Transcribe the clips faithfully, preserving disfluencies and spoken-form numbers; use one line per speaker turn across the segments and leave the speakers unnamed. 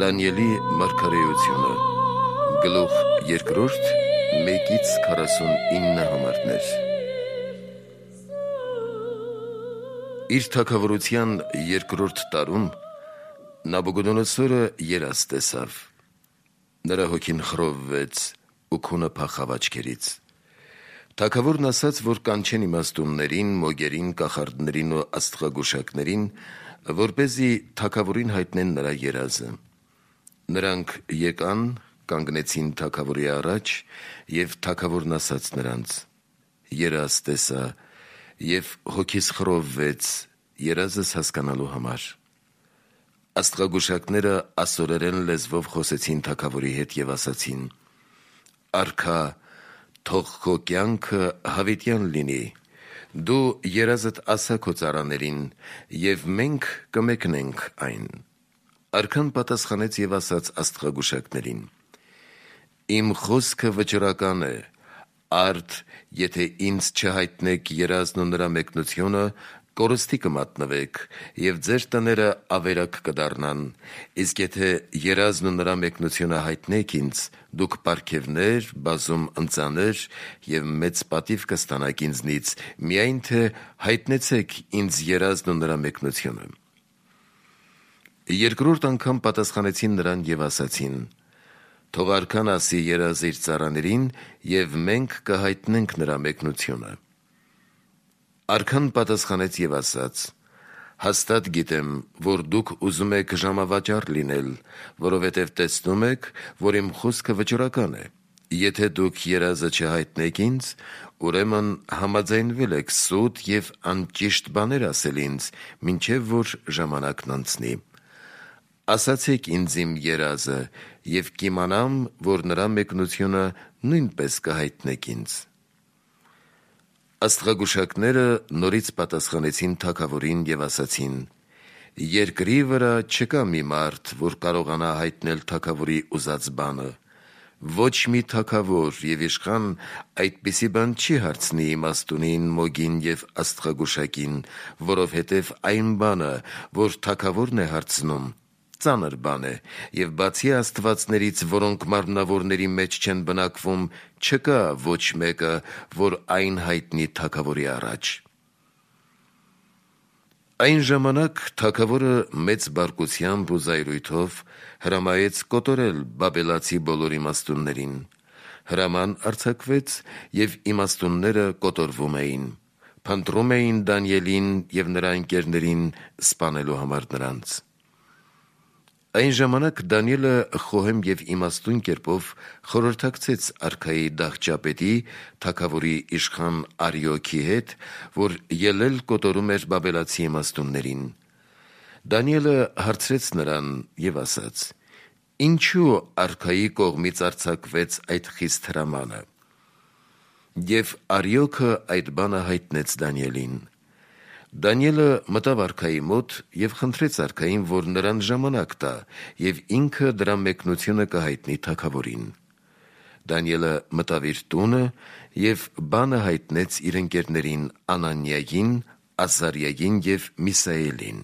Դանիելի մարգարեությունը գլուխ երկրորդ մեկից քառասունինը համարներ։ Իր թագավորության երկրորդ տարում Նաբուգոդոնոսորը երազ տեսավ։ Նրա հոգին խռովվեց ու քունը փախավ աչքերից։ Թագավորն ասաց, որ կանչեն իմաստուններին, մոգերին, կախարդներին ու աստղագուշակներին, որպեսզի թագավորին հայտնեն նրա երազը։ Նրանք եկան, կանգնեցին թագավորի առաջ, և թագավորն ասաց նրանց. երազ տեսա, և հոգիս խռովվեց երազս հասկանալու համար։ Աստղագուշակները ասորերեն լեզվով խոսեցին թագավորի հետ և ասացին. արքա, թող քո կյանքը հավիտյան լինի, դու երազդ ասա քո ծառաներին, և մենք կմեկնենք այն։ Արքան պատասխանեց և ասաց աստղագուշակներին. իմ խոսքը վճռական է, արդ եթե ինձ չհայտնեք երազն ու նրա մեկնությունը, կորստի կմատնվեք, և ձեր տները ավերակ կդառնան, իսկ եթե երազն ու նրա մեկնությունը հայտնեք ինձ, դուք պարգևներ, բազում ընծաներ և մեծ պատիվ կստանաք ինձնից, միայն թե հայտնեցեք ինձ երազն ու նրա մեկնությունը։ Երկրորդ անգամ պատասխանեցին նրան և ասացին. թող արքան ասի երազը իր ծառաներին, և մենք կհայտնենք նրա մեկնությունը։ Արքան պատասխանեց և ասաց. հաստատ գիտեմ, որ դուք ուզում եք ժամավաճառ լինել, որովհետև տեսնում եք, որ իմ խոսքը վճռական է։ Եթե դուք երազը չհայտնեք ինձ, ուրեմն համաձայնվել եք սուտ և անճիշտ բաներ ասել ինձ, մինչև որ ժամանակն անցնի։ Ասացեք ինձ իմ երազը, և կիմանամ, որ նրա մեկնությունը նույնպես կհայտնեք ինձ։ Աստղագուշակները նորից պատասխանեցին թագավորին և ասացին. երկրի վրա չկա մի մարդ, որ կարողանա հայտնել թագավորի ուզած բանը։ Ոչ մի թագավոր և իշխան այդպիսի բան չի հարցնի իմաստունին, մոգին և աստղագուշակին, որովհետև այն բանը, որ թագավորն է հարցնում, ծանր բան է, և բացի աստվածներից, որոնք մարմնավորների մեջ չեն բնակվում, չկա ոչ մեկը, որ այն հայտնի թագավորի առաջ։ Այն ժամանակ թագավորը մեծ բարկությամբ ու զայրույթով հրամայեց կոտորել բաբելացի բոլոր իմաստուններին։ Հրաման արձակվեց, և իմաստունները կոտորվում էին, փնտրում էին Դանիելին և նրա ընկերներին սպանելու համար նրանց։ Այն ժամանակ Դանիելը խոհեմ և իմաստուն կերպով խորհրդակցեց արքայի դահճապետի, թագավորի իշխան Արիոքի հետ, որ ելել կոտորում էր բաբելացի իմաստուններին։ Դանիելը հարցրեց նրան և ասաց. ինչու արքայի կողմից արձակվեց այդ խիստ հրամանը։ Եվ Արիոքը այդ բանը հայտնեց Դանիելին։ Դանիելը մտավ արքայի մոտ և խնդրեց արքային, որ նրան ժամանակ տա, և ինքը դրա մեկնությունը կհայտնի թագավորին։ Դանիելը մտավ իր տունը և բանը հայտնեց իր ընկերներին Անանիային, Ազարիային և Միսաելին։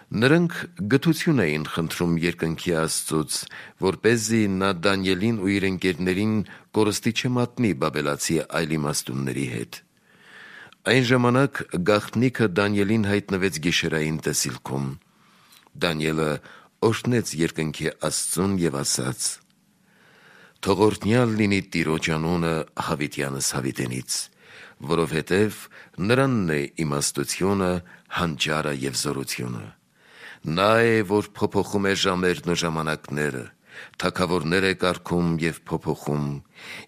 Նրանք գթություն էին խնդրում երկնքի Աստծուց, որպեսզի նա Դանիելին ու իր ընկերներին կորստի չմատնի բաբելացի այլ իմաստունների հետ։ Այն ժամանակ գաղտնիքը Դանիելին հայտնվեց գիշերային տեսիլքում։ Դանիելը օրհնեց երկնքի Աստծուն և ասաց. թող օրհնյալ լինի Տիրոջ անունը հավիտյանս հավիտենից, որովհետև նրանն է իմաստությունը, հանճարը և զորությունը։ Նա է, որ փոփոխում է ժամերն ու ժամանակները, թագավորներ է կարգում և փոփոխում,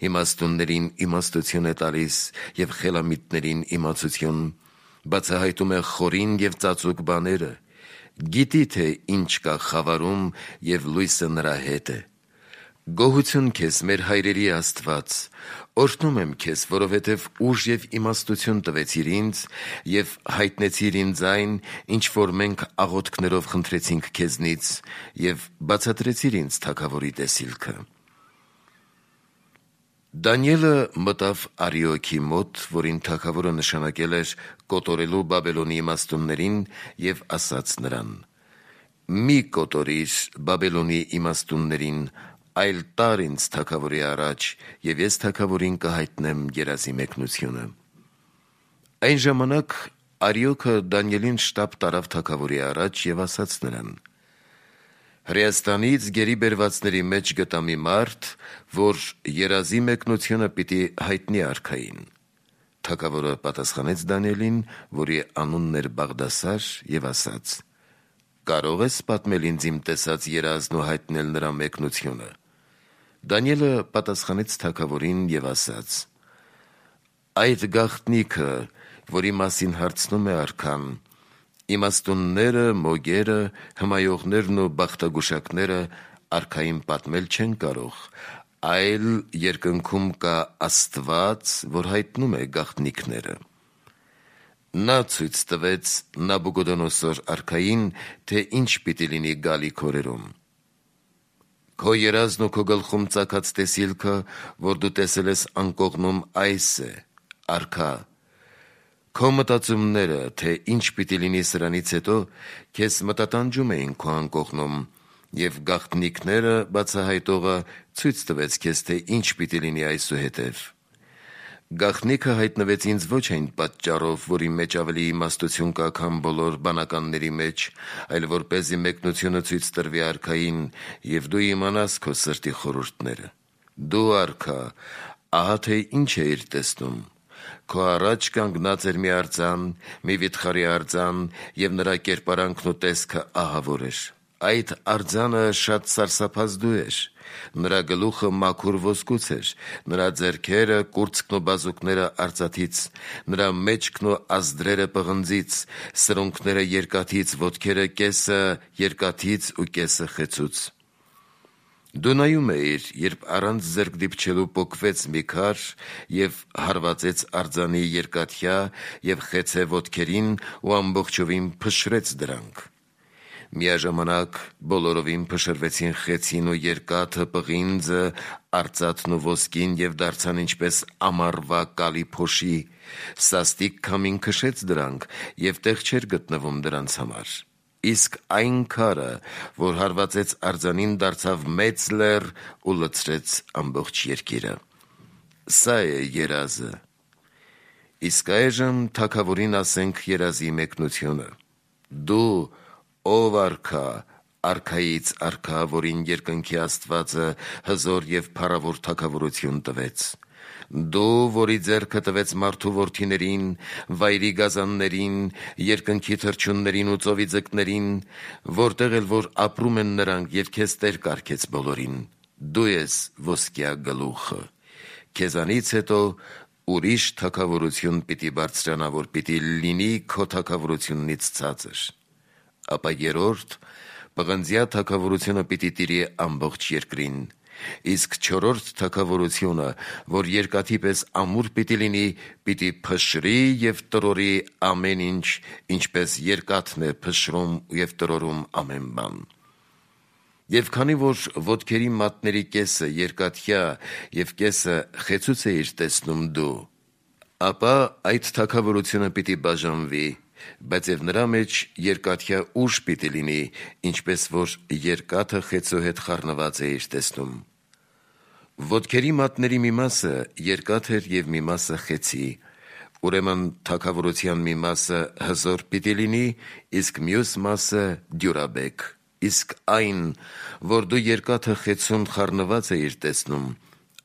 իմաստուններին իմաստություն է տալիս և խելամիտներին իմացություն, բացահայտում է խորին և ծածուկ բաները, գիտի, թե ինչ կա խավարում, և լույսը նրա հետ է։ Գոհություն քեզ, մեր հայրերի Աստված, օրհնում եմ քեզ, որովհետև ուժ և իմաստություն տվեցիր ինձ և հայտնեցիր ինձ այն, ինչ որ մենք աղոթքներով խնդրեցինք քեզնից, և բացատրեցիր ինձ թագավորի տեսիլքը։ Դանիելը մտավ Արիոքի մոտ, որին թագավորը նշանակել էր կոտորելու Բաբելոնի իմաստուններին, և ասաց նրան. մի կոտորիր Բաբելոնի իմաստուններին, այլ տար ինձ թագավորի առաջ, և ես թագավորին կհայտնեմ երազի մեկնությունը։ Այն ժամանակ Արիոքը Դանիելին շտապ տարավ թագավորի առաջ և ասաց նրան. Հրեաստանից գերի բերվածների մեջ գտա մի մարդ, որ երազի մեկնությունը պիտի հայտնի արքային։ Թագավորը պատասխանեց Դանիելին, որի անունն էր Բաղդասար, և ասաց. Կարո՞ղ ես պատմել ինձ իմ տեսած երազն ու հայտնել նրա մեկնությունը։ Դանիելը պատասխանեց թագավորին և ասաց. Այդ գաղտնիքը, որի մասին հարցնում է արքան, իմաստունները, մոգերը, հմայողներն ու բախտագուշակները արքային պատմել չեն կարող, այլ երկնքում կա Աստված, որ հայտնում է գաղտնիքները։ Նա ցույց տվեց Նաբուկոդոնոսոր արքային, թե ինչ պիտի լինի գալիք օրերում։ Քո երազն ու քո գլխում ծագած տեսիլքը, որ դու տեսել ես անկողնում, այս է, արքա։ Քո մտածումները, թե ինչ պիտի լինի սրանից հետո, քեզ մտատանջում էին քո անկողնում, և գաղտնիքները բացահայտողը ցույց տվեց քեզ, թե ինչ պիտի լինի այսուհետև։ Գաղտնիքը հայտնվեց ինձ ոչ այն պատճառով, որի մեջ ավելի իմաստություն կա, քան բոլոր բանականների մեջ, այլ որպեսզի մեկնությունը ցույց տրվի արքային, և դու իմանաս քո սրտի խորհուրդները։ Դու, արքա, ահա թե ինչ էիր տեսնում։ Քո առաջ կանգնած էր մի արձան, մի վիթխարի արձան, և նրա կերպարանքն ու տեսքը ահավոր էր։ Այդ արձանը շատ սարսափազդու էր։ Նրա գլուխը մաքուր ոսկուց էր, նրա ձեռքերը, կուրծքն ու բազուկները արծաթից, նրա մեջքն ու ազդրերը պղնձից, սրունքները երկաթից, ոտքերը կեսը երկաթից ու կեսը խեցուց։ Դու նայում էիր, երբ առանց ձեռք դիպչելու պոկվեց մի քար և հարվածեց արձանի երկաթյա և խեցե ոտքերին ու ամբողջովին փշրեց դրանք։ Միաժամանակ բոլորովին փշրվեցին խեցին ու երկաթը, պղինձը, արծաթն ու ոսկին և դարձան ինչպես ամառվա կալի փոշի, սաստիկ քամին քշեց դրանք և տեղ չէր գտնվում դրանց համար։ Իսկ այն քարը, որ հարվածեց արձանին, դարձավ մեծ լեռ ու լցրեց ամբողջ երկիրը։ Սա է երազը։ Իսկ այժմ թագավորին ասենք երազի մեկնությունը։ Դու, ով արքա, արքայից արքա, որին երկնքի Աստվածը հզոր և փառավոր թագավորություն տվեց։ Դու, որի ձեռքը տվեց մարդու որդիներին, վայրի գազաններին, երկնքի թռչուններին ու ծովի ձկներին, որտեղ էլ որ ապրում են նրանք, և քեզ տեր կարգեց բոլորին։ Դու ես ոսկյա գլուխը։ Քեզանից հետո ուրիշ թագավորություն պիտի բարձրանա, որ պիտի լինի քո թագավորությունից ցածր։ Ապա երրորդ, պղնձյա թագավորությունը պիտի տիրի ամբողջ երկրին։ Իսկ չորրորդ թագավորությունը, որ երկաթի պես ամուր պիտի լինի, պիտի փշրի և տրորի ամեն ինչ, ինչպես երկաթն է փշրում և տրորում ամեն բան։ Եվ քանի որ ոտքերի մատների կեսը երկաթյա և կեսը խեցուց էիր տեսնում դու, ապա այդ թագավորությունը պիտի բաժանվի, բայց և նրա մեջ երկաթյա ուժ պիտի լինի, ինչպես որ երկաթը խեցու հետ խառնված էիր տեսնում։ Ոտքերի մատների մի մասը երկաթ էր և մի մասը խեցի։ Ուրեմն թագավորության մի մասը հզոր պիտի լինի, իսկ մյուս մասը դյուրաբեկ։ Իսկ այն, որ դու երկաթը խեցուն խառնված էիր տեսնում,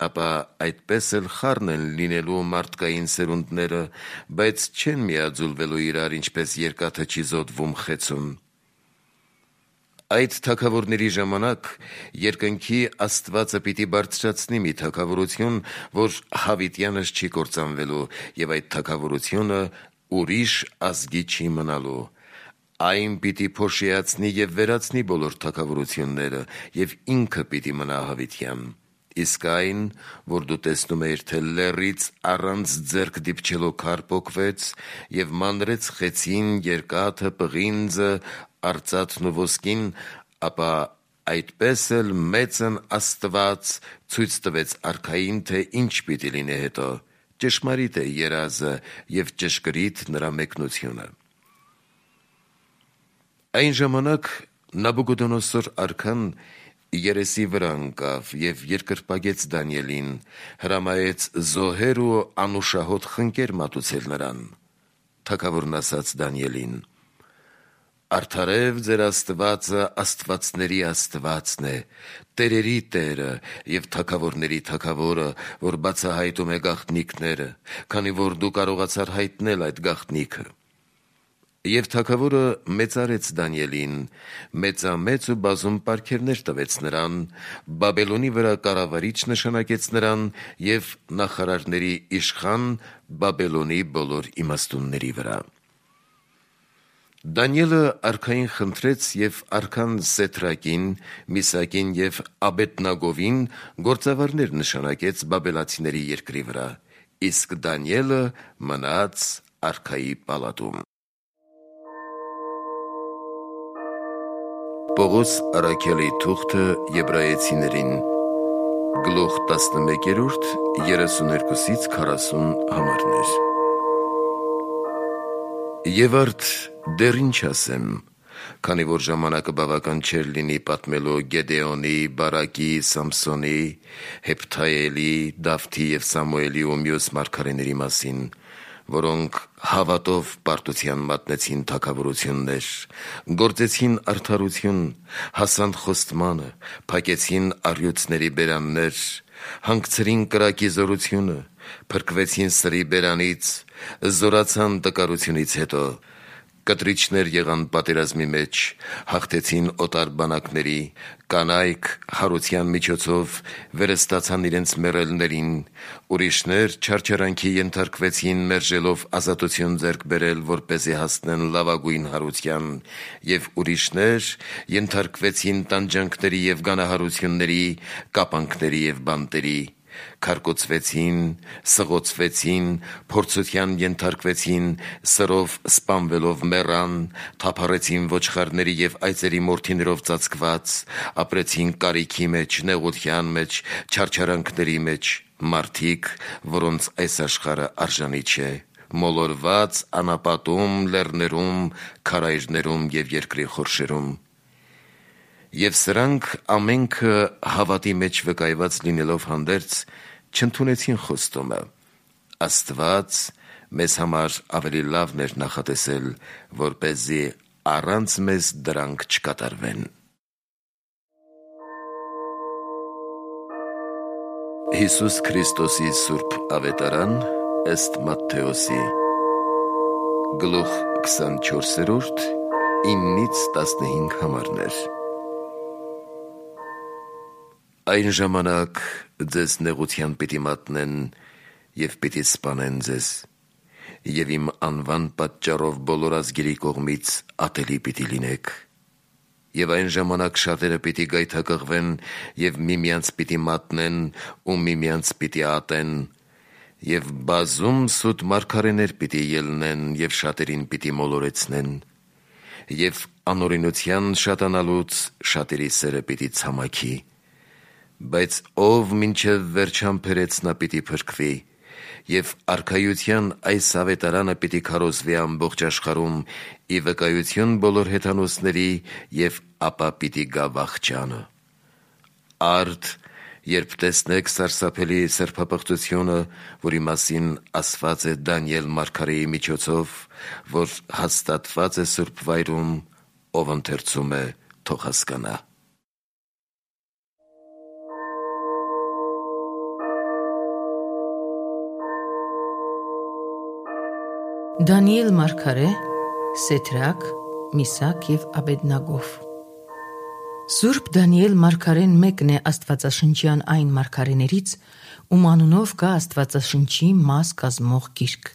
ապա այդպես էլ խառն են լինելու մարդկային սերունդները, բայց չեն միաձուլվելու իրար, ինչպես երկաթը չի զոդվում խեցուն։ Այդ թագավորների ժամանակ երկնքի Աստվածը պիտի բարձրացնի մի թագավորություն, որ հավիտյանս չի կործանվելու, և այդ թագավորությունը ուրիշ ազգի չի մնալու։ Այն պիտի փոշիացնի և վերացնի բոլոր թագավորությունները, և ինքը պիտի մնա հավիտյան։ Իսկ այն, որ դու տեսնում էիր, թե լեռից առանց ձեռք դիպչելու քար պոկվեց և մանրեց խեցին, երկաթը, պղինձը, արծաթն ու ոսկին, ապա այդպես էլ մեծն Աստված ցույց տվեց արքային, թե ինչ պիտի լինի հետո։ Ճշմարիտ է երազը և ճշգրիտ նրա մեկնությունը։ Այն ժամանակ Նաբուգոդոնոսոր արքան երեսի վրա ընկավ և երկրպագեց Դանիելին, հրամայեց զոհեր ու անուշահոտ խնկեր մատուցել նրան։ Թագավորն ասաց Դանիելին. «Արդարև ձեր Աստվածը աստվածների Աստվածն է, տերերի Տերը և թագավորների Թագավորը, որ բացահայտում է գաղտնիքները, քանի որ դու կարողացար հայտնել այդ գաղտնիքը»։ Եվ թագավորը մեծարեց Դանիելին, մեծամեծ ու բազում պարգևներ տվեց նրան, Բաբելոնի վրա կառավարիչ նշանակեց նրան և նախարարների իշխան Բաբելոնի բոլոր իմաստունների վրա։ Դանիելը արքային խնդրեց և արքան Սեդրակին, Միսակին և Աբեդնագովին գործավարներ նշանակեց բաբելացիների երկրի վրա, իսկ Դանիելը մնաց արքայի պալատում։ Պողոս առաքյալի թուղթը Եբրայեցիներին, գլուխ տասնմեկերորդ, երեսուներկուսից քառասուն համարներ։ Եվ արդ դեռ ինչ ասեմ, քանի որ ժամանակը բավական չէր լինի պատմելու Գեդեոնի, Բարակի, Սամսոնի, Հեփթայելի, Դավթի և Սամուելի ու մյուս մարգարեների մասին, որոնք հավատով պարտության մատնեցին թագավորություններ, գործեցին արդարություն, հասան խոստմանը, փակեցին առյուծների բերաններ, հանգցրին կրակի զորությունը, փրկվեցին սրի բերանից, զորացան տկարությունից հետո, կտրիչներ եղան պատերազմի մեջ, հաղթեցին օտար բանակների, կանայք հարության միջոցով վերստացան իրենց մեռելներին, ուրիշներ չարչարանքի ենթարկվեցին մերժելով ազատություն ձեռք բերել, որպեսզի հասնեն լավագույն հարության, և ուրիշներ ենթարկվեցին տանջանքների և գանահարությունների, կապանքների և բանտերի, քարկոծվեցին, սղոցվեցին, փորձության ենթարկվեցին, սրով սպանվելով մեռան, թափառեցին ոչխարների և այծերի մորթիներով ծածկված, ապրեցին կարիքի մեջ, նեղության մեջ, չարչարանքների մեջ, մարդիկ, որոնց այս աշխարհը արժանի չէ, մոլորված անապատում, լեռներում, քարայրներում և երկրի խորշերում։ Եվ սրանք ամենքը հավատի մեջ վկայված լինելով հանդերձ չընդունեցին խոստումը։ Աստված մեզ համար ավելի լավն էր նախատեսել, որպեսզի առանց մեզ դրանք չկատարվեն։ Հիսուս Քրիստոսի Սուրբ Ավետարան ըստ Մատթեոսի, գլուխ քսանչորսերորդ, իննից տասնհինգ համարներ։ Այն ժամանակ ձեզ նեղության պիտի մատնեն և պիտի սպանեն ձեզ, և իմ անվան պատճառով բոլոր ազգերի կողմից ատելի պիտի լինեք, և այն ժամանակ շատերը պիտի գայթակղվեն և միմյանց պիտի մատնեն ու միմյանց պիտի ատեն, և բազում սուտ մարգարեներ պիտի ելնեն և շատերին պիտի մոլորեցնեն, և անօրենության շատանալուց շատերի սերը պիտի ցամաքի, բայց ով մինչև վերջ համբերեց նա պիտի փրկվի, և արքայության այս ավետարանը պիտի քարոզվի ամբողջ աշխարհում ի վկայություն բոլոր հեթանոսների, և ապա պիտի գա վախճանը։ Արդ երբ տեսնեք սարսափելի սրբապղծությունը, որի մասին ասված է Դանիել մարգարեի միջոցով, որ հաստատված է Սուրբ վայրում, ով ընթերցում է, թող հասկանա։
Դանիել մարգարե, Սեդրակ, Միսակ և Աբեդնագով։ Սուրբ Դանիել մարգարեն մեկն է աստվածաշնչյան այն մարգարեներից, ում անունով կա Աստվածաշնչի մաս կազմող գիրք։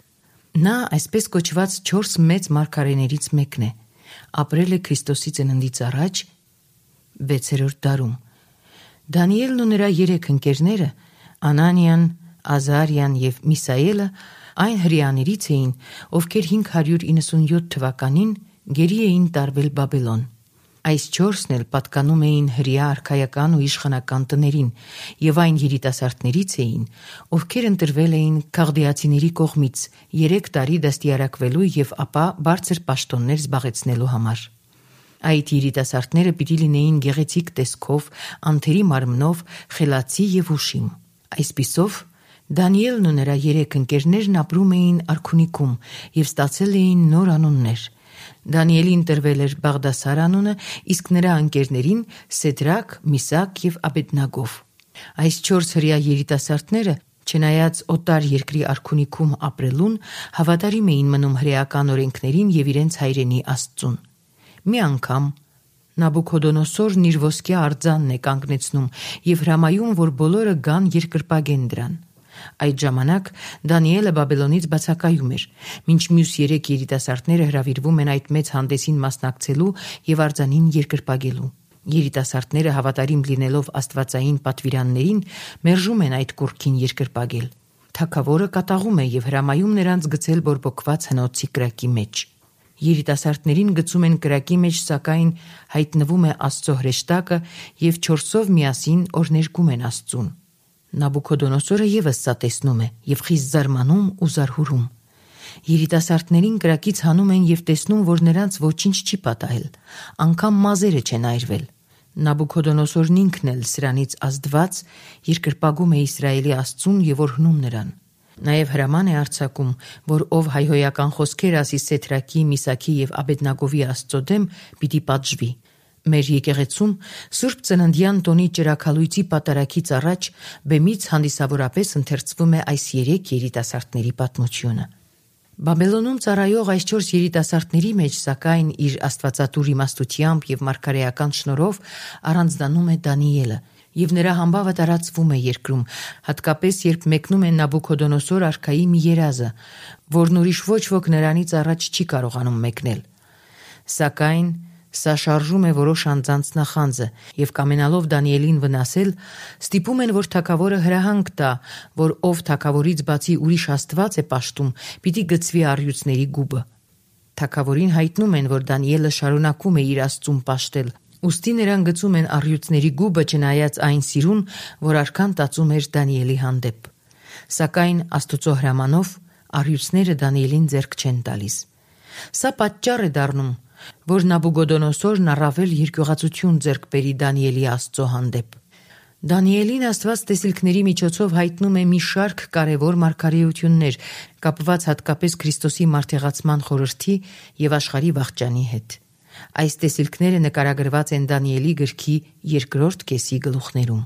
Նա այսպես կոչված չորս մեծ մարգարեներից մեկն է, ապրել է Քրիստոսի ծննդից առաջ վեցերորդ դարում։ Դանիելն ու նրա երեք ընկերները՝ Անանիան, Ազարիան և Միսայելը, այն հրեաներից էին, ովքեր հինգ հարյուր իննսունյոթ թվականին գերի էին տարվել Բաբելոն։ Այս չորսն էլ պատկանում էին հրեա արքայական ու իշխանական տներին և այն երիտասարդներից էին, ովքեր ընտրվել էին քաղդեացիների կողմից երեք տարի դաստիարակվելու և ապա բարձր պաշտոններ զբաղեցնելու համար։ Այդ երիտասարդները պիտի լինեին գեղեցիկ տեսքով, անթերի մարմնով, խելացի եւ ուշիմ։ Այսպիսով Դանիելն ու նրա երեք ընկերներն ապրում էին արքունիքում եւ ստացել էին նոր անուններ։ Դանիելին տրվել էր Բաղդասար անունը, իսկ նրա ընկերներին Սեդրակ, Միսակ եւ Աբեդնագով։ Այս չորս հրեա երիտասարդները, չնայած օտար երկրի արքունիքում ապրելուն, հավատարիմ էին մնում հրեական օրենքներին եւ իրենց հայրենի Աստծուն։ Մի անգամ Նաբուքոդոնոսորն իր ոսկե արձանն է կանգնեցնում եւ հրամայում, որ բոլորը գան երկրպագեն դրան։ Այդ ժամանակ Դանիելը Բաբելոնից բացակայում էր, մինչ մյուս երեք երիտասարդները հրավիրվում են այդ մեծ հանդեսին մասնակցելու եւ արձանին երկրպագելու։ Երիտասարդները հավատարիմ լինելով աստվածային պատվիրաններին մերժում են այդ կուռքին երկրպագել։ Թագավորը կատաղում է եւ հրամայում նրանց գցել բորբոքված հնոցի կրակի մեջ։ Երիտասարդներին գցում են կրակի մեջ, սակայն հայտնվում է Աստծո հրեշտակը եւ չորսով միասին օրներգում են Աստծուն։ Նաբուքոդոնոսորը եւս սա տեսնում է եւ խիստ զարմանում ու զարհուրում։ Երիտասարդներին կրակից հանում են եւ տեսնում, որ նրանց ոչինչ չի պատահել, անգամ մազերը չեն այրվել։ Նաբուքոդոնոսորն ինքն էլ սրանից ազդված երկրպագում է Իսրայելի Աստծուն եւ օրհնում նրան։ Նաև հրաման է արձակում, որ ով հայհոյական խոսքեր ասի Սեդրակի, Միսաքի եւ Աբեդնագովի Աստծո դեմ, պիտի պատժվի։ Մեր եկեղեցում Սուրբ Ծննդյան տոնի ճրագալույցի պատարագից առաջ բեմից հանդիսավորապես ընթերցվում է այս երեք երիտասարդների պատմությունը։ Բաբելոնում ծառայող այս չորս երիտասարդների մեջ, սակայն, իր աստվածատուր իմաստությամբ եւ մարգարեական շնորհով առանձնանում է Դանիելը, եւ նրա համբավը տարածվում է երկրում, հատկապես երբ մեկնում է Նաբուքոդոնոսոր արքայի մի երազը, որն ուրիշ ոչ ոք նրանից առաջ չի կարողանում մեկնել։ Սակայն սա շարժում է որոշ անձանց նախանձը եւ կամենալով Դանիելին վնասել, ստիպում են, որ թագավորը հրահանգ տա, որ ով թագավորից բացի ուրիշ աստված է պաշտում, պիտի գծվի առյուծների գուբը։ Թագավորին հայտնում են, որ Դանիելը շարունակում է իր Աստծուն պաշտել, ուստի նրան գծում են առյուծների գուբը, չնայած այն սիրուն, որ արքան տածում էր Դանիելի հանդեպ։ Սակայն Աստուծո հրամանով առյուծները Դանիելին ձեռք չեն տալիս։ Սա պատճառ է դառնում, որ Նաբուքոդոնոսորն առավել երկյուղացություն ձեռք բերի Դանիելի Աստծո հանդեպ։ Դանիելին Աստված տեսիլքների միջոցով հայտնում է մի շարք կարևոր մարգարեություններ, կապված հատկապես Քրիստոսի մարդեղացման խորհրդի եւ աշխարհի վախճանի հետ։ Այս տեսիլքները նկարագրված են Դանիելի գրքի երկրորդ կեսի գլուխներում։